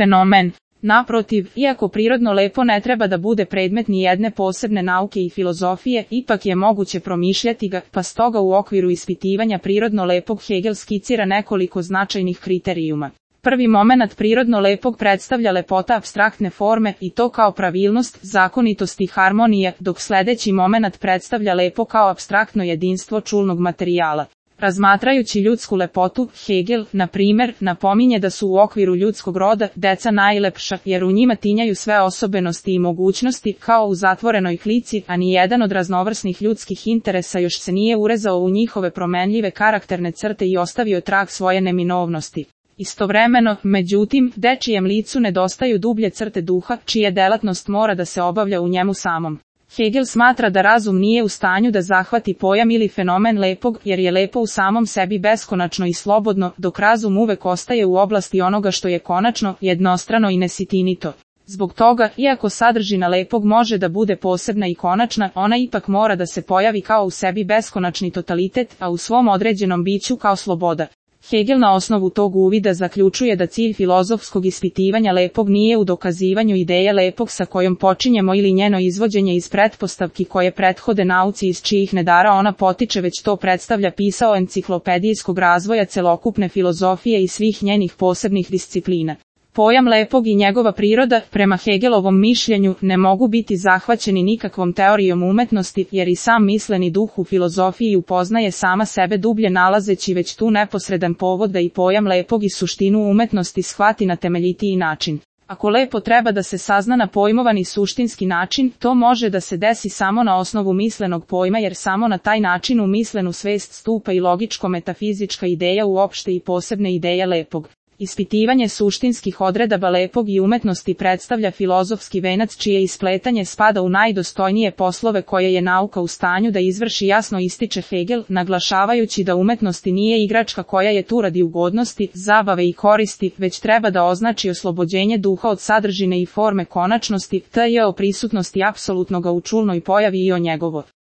fenomen. Naprotiv, iako prirodno lepo ne treba da bude predmet ni jedne posebne nauke i filozofije, ipak je moguće promišljati ga, pa stoga u okviru ispitivanja prirodno lepog Hegel skicira nekoliko značajnih kriterijuma. Prvi momenat prirodno lepog predstavlja lepota apstraktne forme i to kao pravilnost, zakonitost i harmonija, dok sledeći momenat predstavlja lepo kao apstraktno jedinstvo čulnog materijala. Razmatrajući ljudsku lepotu, Hegel, na primer, napominje da su u okviru ljudskog roda deca najlepša, jer u njima tinjaju sve osobenosti i mogućnosti, kao u zatvorenoj klici, a ni jedan od raznovrsnih ljudskih interesa još se nije urezao u njihove promenljive karakterne crte i ostavio trag svoje neminovnosti. Istovremeno, međutim, dečijem licu nedostaju dublje crte duha, čija delatnost mora da se obavlja u njemu samom. Hegel smatra da razum nije u stanju da zahvati pojam ili fenomen lepog, jer je lepo u samom sebi beskonačno i slobodno, dok razum uvek ostaje u oblasti onoga što je konačno, jednostrano i nesitinito. Zbog toga, iako sadržina lepog može da bude posebna i konačna, ona ipak mora da se pojavi kao u sebi beskonačni totalitet, a u svom određenom biću kao sloboda. Hegel na osnovu tog uvida zaključuje da cilj filozofskog ispitivanja lepog nije u dokazivanju ideje lepog sa kojom počinjemo ili njeno izvođenje iz pretpostavki koje prethode nauci iz čijih nedara ona potiče, već to predstavlja pisao enciklopedijskog razvoja celokupne filozofije i svih njenih posebnih disciplina. Pojam lepog i njegova priroda, prema Hegelovom mišljenju, ne mogu biti zahvaćeni nikakvom teorijom umetnosti, jer i sam misleni duh u filozofiji upoznaje sama sebe dublje nalazeći već tu neposredan povod da i pojam lepog i suštinu umetnosti shvati na temeljitiji način. Ako lepo treba da se sazna na pojmovani suštinski način, to može da se desi samo na osnovu mislenog pojma, jer samo na taj način u mislenu svest stupa i logičko-metafizička ideja uopšte i posebne ideje lepog. Ispitivanje suštinskih odredaba lepog i umetnosti predstavlja filozofski venac čije ispletanje spada u najdostojnije poslove koje je nauka u stanju da izvrši, jasno ističe Hegel, naglašavajući da umetnosti nije igračka koja je tu radi ugodnosti, zabave i koristi, već treba da označi oslobođenje duha od sadržine i forme konačnosti, t.j. o prisutnosti apsolutnoga u čulnoj pojavi i o njegovo